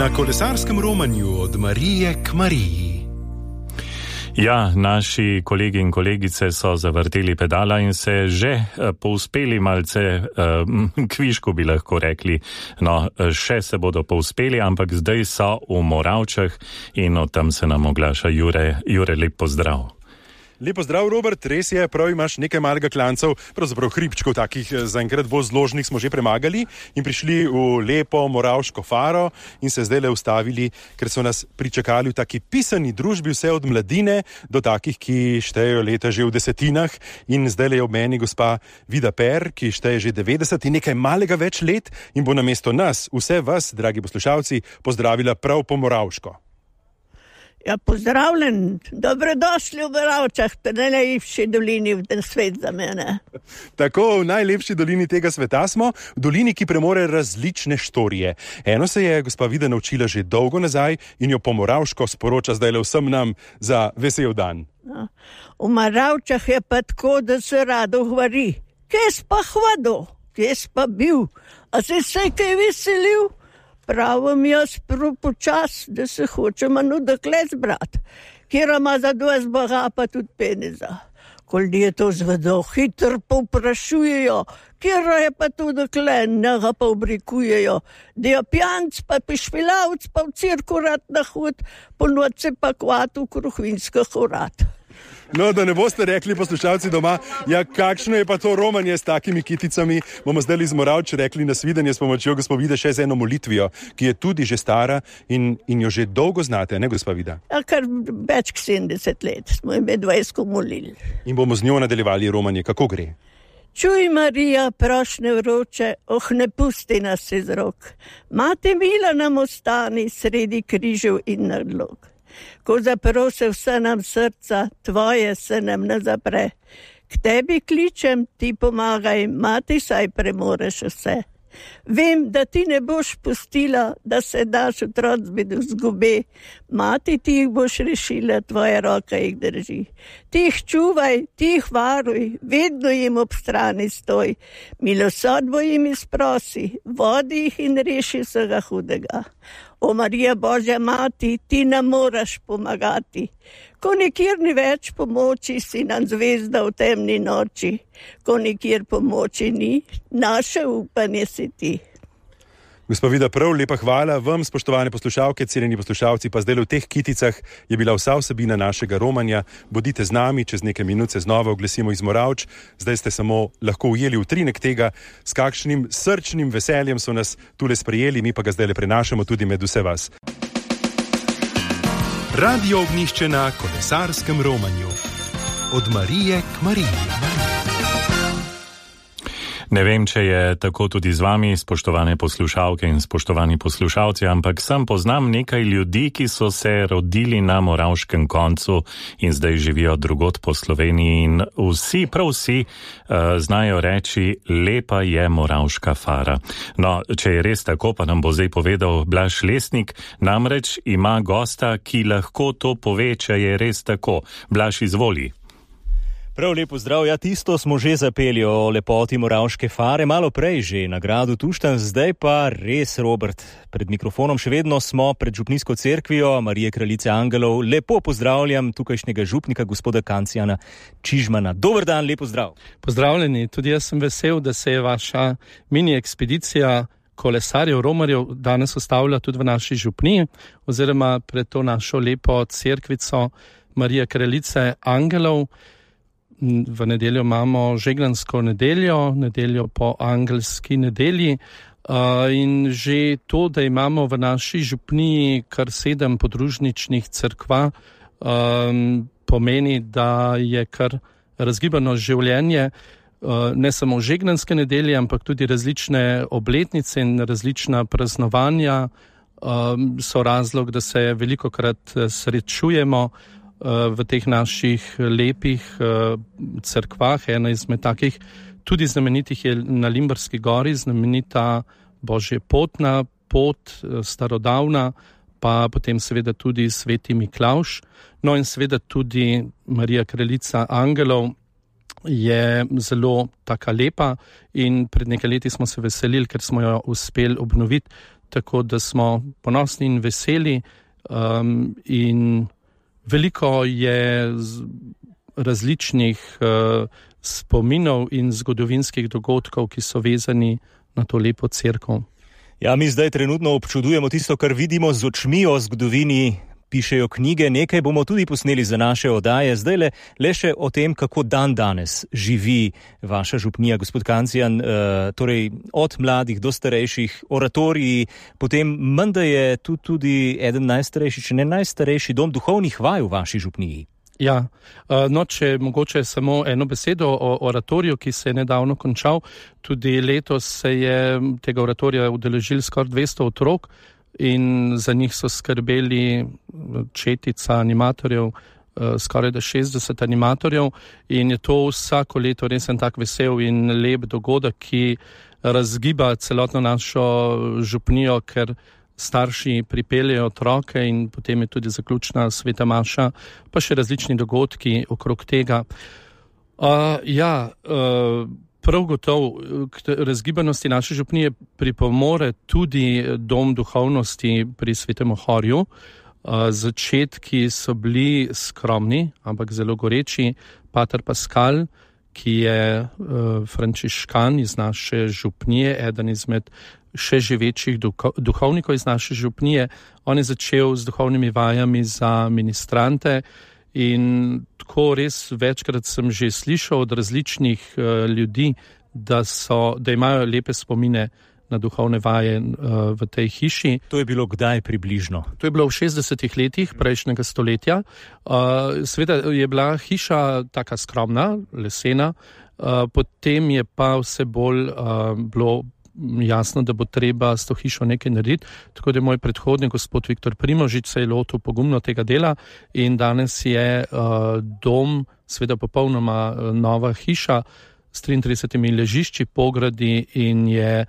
Na kolesarskem romanju od Marije k Mariji. Ja, naši kolegi in kolegice so zavrteli pedala in se že povzpeli malce kvišku, bi lahko rekli. No, še se bodo povzpeli, ampak zdaj so v Moravčah in od tam se nam oglaša Jure. Jure, lep pozdrav. Lepo zdrav, Robert, res je, prav imaš nekaj malega klancev, pravzaprav hribčkov takih zaenkrat bolj zložnih smo že premagali in prišli v lepo Moravško faro in se zdaj le ustavili, ker so nas pričakali v taki pisani družbi, vse od mladine do takih, ki štejejo leta že v desetinah, in zdaj le je ob meni gospa Vida Per, ki šteje že 90 in nekaj malega več let in bo namesto nas, vse vas, dragi poslušalci, pozdravila prav po Moravško. Ja, pozdravljen, dobrodošli v Moravčah, v najlepši dolini v ten svet za mene. Tako, v najlepši dolini tega sveta smo, v dolini, ki premore različne štorije. Eno se je gospa Vida naučila že dolgo nazaj in jo po Moravško sporoča zdaj le vsem nam za vesel dan. Ja. V Moravčah je pa tako, da se rado hvori. Kje si pa hvodil? Kje si pa bil? A si se kaj veselil? Pravim jaz prav počas, da se hočem dekle zbrat, kjer ima za 20 boga pa tudi peneza. Kolje to zvedo, hitro povprašujejo, kjer je pa to dekle, njega pa obrikujejo, da je pijanc pa pišpilavc pa v cirku rad na hod, po noči pa kvat v kruhvinskih urad. No, da ne boste rekli poslušalci doma, ja, kakšno je pa to romanje s takimi kiticami, bomo zdaj iz Moravč rekli nasvidenje s pomočjo gospa Vide še z eno molitvijo, ki je tudi že stara in jo že dolgo znate, ne gospa Vida? Ja, kar več k 70 let smo ime 20 molili. In bomo z njo nadaljevali romanje, kako gre? Čuj, Marija, prošnje vroče, ne pusti nas iz rok. Mati mila nam ostani sredi križev in nadlog. Ko zaprose vse nam srca, tvoje se nam ne zapre. K tebi kličem, ti pomagaj, mati, saj premoreš vse. Vem, da ti ne boš pustila, da se daš otroc bedu zgube. Mati, ti jih boš rešila, tvoja roka jih drži. Ti jih čuvaj, ti jih varuj, vedno jim ob strani stoj. Milosodbo jim izprosi, vodi jih in reši vsega hudega. O Marija Božja mati, ti nam moraš pomagati. Ko nikjer ni več pomoči, si nam zvezda v temni noči. Ko nikjer pomoči ni, naše upanje si ti. Gospa Vida, prav lepa hvala vam, spoštovane poslušalke, cenjeni poslušalci, pa zdaj v teh kiticah je bila vsa vsebina našega romanja. Bodite z nami, čez nekaj minut se znova oglesimo iz Moravč. Zdaj ste samo lahko ujeli utrinek tega, s kakšnim srčnim veseljem so nas tule sprejeli, mi pa ga zdaj le prenašamo tudi med vse vas. Radio Ognjišče na kolesarskem romanju. Od Marije k Mariji. Ne vem, če je tako tudi z vami, spoštovane poslušalke in spoštovani poslušalci, ampak sem poznam nekaj ljudi, ki so se rodili na moravškem koncu in zdaj živijo drugod po Sloveniji in vsi, prav vsi, znajo reči, lepa je Moravška fara. No, če je res tako, pa nam bo zdaj povedal Blaž Lesnik, namreč ima gosta, ki lahko to pove, če je res tako. Blaž, izvoli. Prav lepo zdrav, ja, tisto smo že zapeli o lepoti Moravške fare, malo prej že na gradu Tuštanj, zdaj pa res, Robert, pred mikrofonom še vedno smo pred župnijsko cerkvijo Marije Kraljice Angelov. Lepo pozdravljam tukajšnjega župnika, gospoda Kancijana Čižmana. Dober dan, lepo zdrav. Pozdravljeni, tudi jaz sem vesel, da se je vaša mini ekspedicija kolesarjev, romarjev danes ustavlja tudi v naši župniji, oziroma pred to našo lepo cerkvico Marije Kraljice Angelov. V nedeljo imamo žeglansko nedeljo po angelski nedelji, in že to, da imamo v naši župniji kar 7 podružničnih cerkva, pomeni, da je kar razgibano življenje, ne samo žeglanske nedelje, ampak tudi različne obletnice in različna praznovanja so razlog, da se velikokrat srečujemo v teh naših lepih cerkvah. Ena izmed takih tudi znamenitih je na Limberski gori, znamenita Božjepotna pot, starodavna, pa potem seveda tudi Sveti Miklavž. No in seveda tudi Marija Kraljica Angelov je zelo taka lepa in pred nekaj leti smo se veselili, ker smo jo uspeli obnoviti tako da smo ponosni in veseli in veliko je različnih spominov in zgodovinskih dogodkov, ki so vezani na to lepo cerkev. Ja, mi zdaj trenutno občudujemo tisto, kar vidimo z očmi o zgodovini, pišejo knjige, nekaj bomo tudi posneli za naše oddaje. Zdaj le še o tem, kako dan danes živi vaša župnija, gospod Kancijan, torej od mladih do starejših, oratoriji, potem menda je tu tudi eden najstarejši, če ne najstarejši dom duhovnih vaj v vaši župniji. Ja, če mogoče samo eno besedo o oratoriju, ki se je nedavno končal. Tudi letos se je tega oratorija udeležil skoraj 200 otrok in za njih so skrbeli četica animatorjev, skoraj 60 animatorjev in je to vsako leto res en tak vesel in lep dogodek, ki razgiba celotno našo župnijo, ker starši pripeljejo otroke in potem je tudi zaključna sveta maša, pa še različni dogodki okrog tega. Prav gotovo k razgibanosti naše župnije pripomore tudi dom duhovnosti pri Svetem Ohorju. Začetki so bili skromni, ampak zelo goreči. Pater Pascal, ki je frančiškan iz naše župnije, eden izmed še živečih duhovnikov iz naše župnije. On je začel z duhovnimi vajami za ministrante in tako res večkrat sem že slišal od različnih ljudi, da imajo lepe spomine na duhovne vaje v tej hiši. To je bilo kdaj približno? To je bilo v 60-ih letih prejšnjega stoletja. Seveda je bila hiša taka skromna, lesena, potem je pa vse bolj bilo jasno, da bo treba s to hišo nekaj narediti. Tako da je moj predhodnik, gospod Viktor Primožič, se je lotil pogumno tega dela in danes je dom, seveda popolnoma nova hiša s 33 ležišči, pogradi in je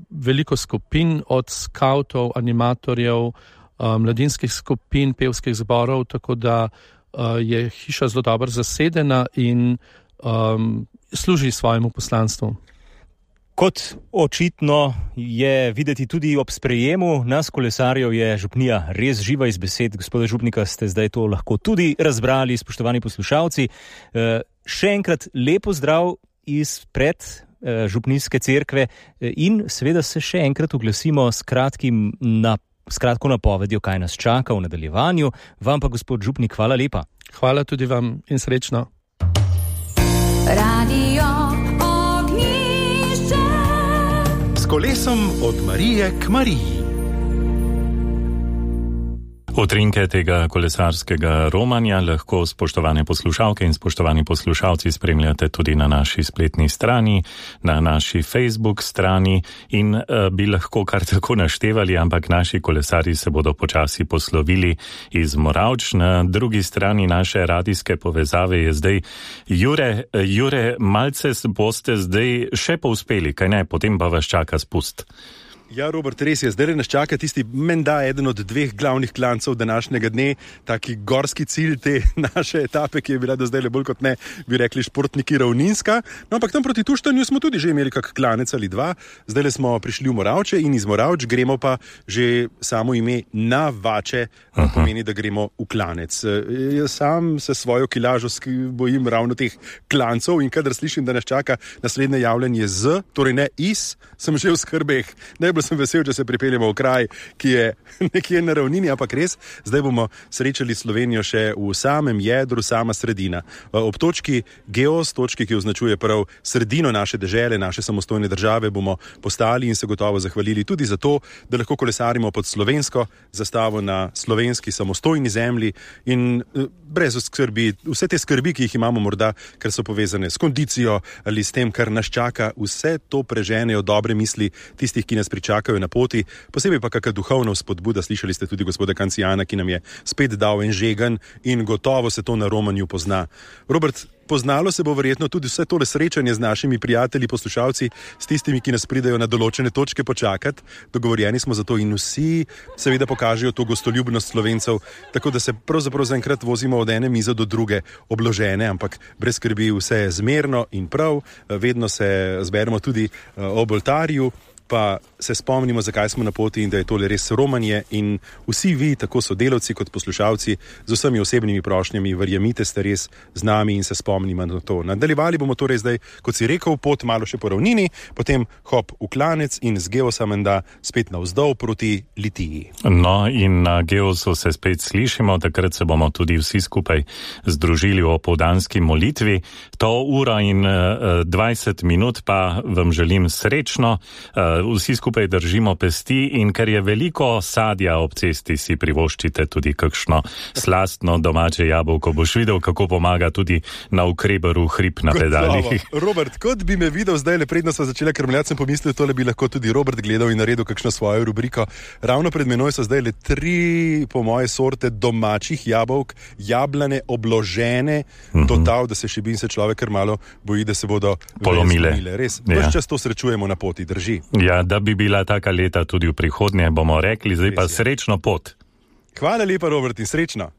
veliko skupin od skavtov, animatorjev, mladinskih skupin, pevskih zborov, tako da je hiša zelo dobro zasedena in služi svojemu poslanstvu. Kot očitno je videti tudi ob sprejemu nas kolesarjev, je župnija res živa iz besed. Gospoda župnika, ste zdaj to lahko tudi razbrali, spoštovani poslušalci. Še enkrat lepo zdrav izpred župnijske cerkve in seveda se še enkrat oglasimo s kratko napovedjo, kaj nas čaka v nadaljevanju. Vam pa, gospod župnik, hvala lepa. Hvala tudi vam in srečno. Radio kolesom od Marije k Mariji. Utrinke tega kolesarskega romanja lahko spoštovane poslušalke in spoštovani poslušalci spremljate tudi na naši spletni strani, na naši Facebook strani in bi lahko kar tako naštevali, ampak naši kolesarji se bodo počasi poslovili iz Moravč. Na drugi strani naše radijske povezave je zdaj Jure, malce boste zdaj še povzpeli, kaj ne, potem pa vas čaka spust. Ja, Robert, res je. Zdaj nas čaka tisti menda eden od dveh glavnih klancev današnjega dne, taki gorski cilj te naše etape, ki je bila do zdaj bolj kot ne, bi rekli športniki, ravninska. No, ampak tam proti Tuštanju smo tudi že imeli kak klanec ali dva. Zdaj smo prišli v Moravče in iz Moravč gremo pa že samo ime na Vače, pomeni, da gremo v klanec. Jaz sam se svojo kilažo bojim ravno teh klancov in kadar slišim, da nas čaka naslednje javljanje z, torej ne iz, sem že v skrbeh. Sem vesel, če se pripeljemo v kraj, ki je nekje na ravnini, ampak res, zdaj bomo srečali Slovenijo še v samem jedru, sama sredina. Ob točki Geos, točki, ki označuje prav sredino naše dežele, naše samostojne države, bomo postali in se gotovo zahvalili tudi za to, da lahko kolesarimo pod slovensko zastavo na slovenski samostojni zemlji in brez skrbi, vse te skrbi, ki jih imamo morda, ker so povezane s kondicijo ali s tem, kar nas čaka, vse to preženejo dobre misli tistih, ki nas čakajo na poti, posebej pa kakšna duhovna spodbuda. Slišali ste tudi gospoda Kancijana, ki nam je spet dal en žegen in gotovo se to na romanju pozna. Robert, poznalo se bo verjetno tudi vse tole srečanje z našimi prijatelji, poslušalci, s tistimi, ki nas pridejo na določene točke počakati. Dogovorjeni smo za to in vsi seveda pokažejo to gostoljubnost Slovencev, tako da se pravzaprav zaenkrat vozimo od ene mize do druge obložene, ampak brez skrbi, vse je zmerno in prav, vedno se zberemo tudi ob oltarju. pa se spomnimo, zakaj smo na poti in da je tole res romanje in vsi vi, tako sodelavci kot poslušalci, z vsemi osebnimi prošnjami, verjemite, ste res z nami in se spomnimo na to. Nadaljevali bomo torej zdaj, kot si rekel, pot malo še po ravnini, potem hop v Klanec in z Geosa menda spet navzdol proti Litiji. No in na Geosu se spet slišimo, takrat se bomo tudi vsi skupaj združili v opoldanski molitvi. To uro in 20 minut pa vam želim srečno. Vsi skupaj držimo pesti in ker je veliko sadja ob cesti, si privoščite tudi kakšno slastno domače jabolko. Boš videl, kako pomaga tudi na ukreberu hrib na pedalih. Robert, kot bi me videl zdaj, le predno sva začela krmljati, sem pomislil, tole bi lahko tudi Robert gledal in naredil kakšno svojo rubriko. Ravno pred menoj so zdaj le 3, po moje, sorte domačih jabolk, jablane, obložene, total, da se šibin se človek kar malo boji, da se bodo polomile. Res, ves čas to srečujemo na poti, drži. Ja, da bi bila taka leta tudi v prihodnje, bomo rekli, zdaj pa srečno pot. Hvala lepa, Robert, in srečno.